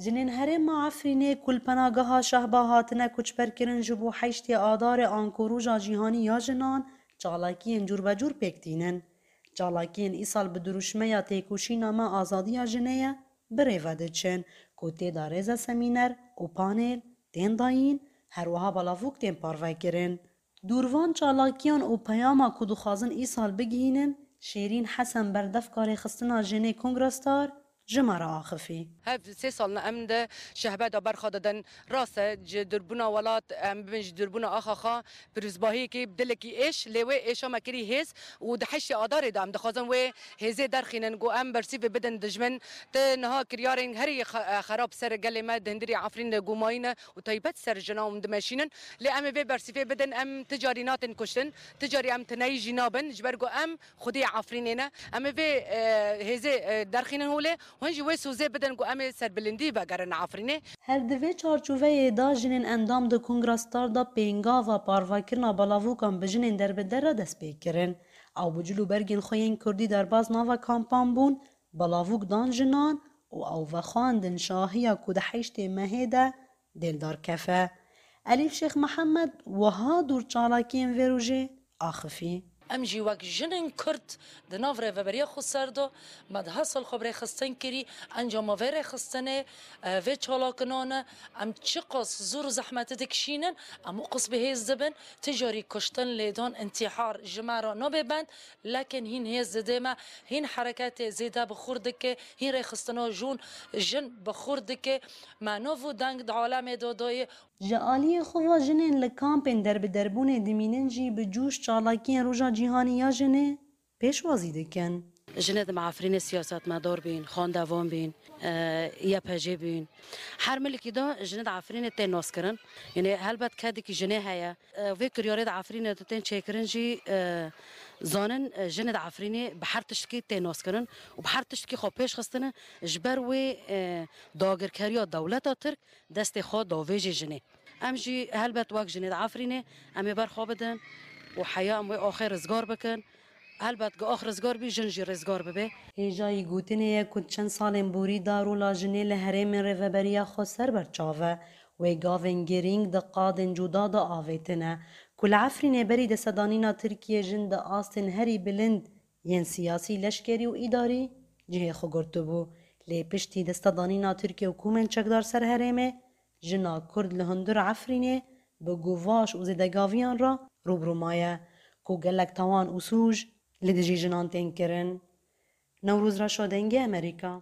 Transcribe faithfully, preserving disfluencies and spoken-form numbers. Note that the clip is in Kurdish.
Jinên herêma Efrînê ku li penageha Şehba hatine koçberkirin ji bo heştê Adarê anku Roja Cîhanî ya Jinan, çalakiyên cûrbecûr pêk tînin. Çalakiyên îsal bi dirûşmeya têkoşîna Me Azadiya Jinê ye, bi rê ve diçin ku tê de rêze semîner û panel tên dayîn, her wiha balavûk tên parvekirin. Dûrvan çalakiyan û peyama ku dixwazin îsal bigihînin, Şêrîn Hesen, berdevka rêxistina jinê Kongra Star, ji me re axifî. Hev sê sal ne em di şehbe de berxa didin. Rast e, ji durbûna welat, em bibin ji durbûna axa xwe, pîrozbahiyekê bi dilekî êş, lê wê êşa me kirî hêz û di heştê Adarê de em dixwazin wê hêzê derxînin, ku em bersîvê bidin dijmin. Ti niha kiryarên herî xe-, xerab ser gelê me di hundirê Efrîn de gumayî ne û taybet ser jinan dimeşînin. Lê em ê vê bersîvê bidin, em ti carî natin kuştin, ti carî em tineyî jî nabin, ji ber ku em xwediyê Efrînê ne. Em ê vê, e, hêzê, e, derxînin holê, hûn jî wê sozê bidin ku em ê serbilindî vegerin Efrînê. Her di vê çarçoveyê de jinên endam di Kongra Star de pêngava parvekirina balavûkan bi jinên derbider re dest pê kirin. Ew bi cil û bergên xwe yên kurdî derbas nava kampan bûn, balavûk dan jinan û ew vexwandin şahiya ku di heştê mehê de dê li dar kefe. Elîf Şêx Mihemed wiha dûr çalakiyên vê rojê axifî. Em jî wek jinên Kurd di nav rêveberiya xweser de me diha sal xwe bi rêxistin kirî, encama vê rêxistinê, e, vê çalakinan e. Em çiqas zor û zehmetî dikişînin, em û qas bi hêz dibin. Ti carî kuştin, lêdan, întîhar ji me re nabe bend, lekin hîn hêz dide me, hîn hereketê zêde bi xurt dike, hîn rêxistina jûn, jin bi xurt dike. Me nav û deng di alemê de dayê. Ji aliyê xwe ve jinên li kampên derbiderbûnê dimînin jî bi cûş çalakiyên Roja Cîhanî ya Jinê pêşwazî dikin. Jinê di me Efrînê siyasetmedar bîn, xandevan bîn, e, Y P J bîn. Her milikî de jinê di Efrînê tên naskirin. Yanî helbet kedekî jinê heye. E, vê kiryarê di Efrînê de tên çêkirin jî, e, zanin, e, jinê di Efrînê bi her tiştkî tên naskirin û bi her tiştkî xwe pêş xistine. Ji ber wê, e, dagirkeriya dewleta Tirk destê xwe davêjê jinê. Em jî helbet wek jinê di Efrînê em ê ber xwe bidin û heya em wê axê rizgar bikin. Helbet ku ax rizgar bî, jin jî rizgar bibe. Hêjayî gotinê ye ku di çend salên borî de rola jinê li herêmên rêveberiya xweser berçav e. Wê gavên girîng di qadên cuda de avêtine ku li Efrînê berî destedanîna Tirkiyê jin di astên herî bilind yên siyasî, leşkerî û îdarî cihê xwe girtibû. Lê piştî destedanîna Tirkiye û komên çekdar ser herêmê, jina Kurd li hundir Efrînê bi guvaş û zêdegaviyan re rû bi rû maye, ku gelek tawan û sûc li dijî jinan tên kirin. Newroz Reşo, Dengê Amerîka.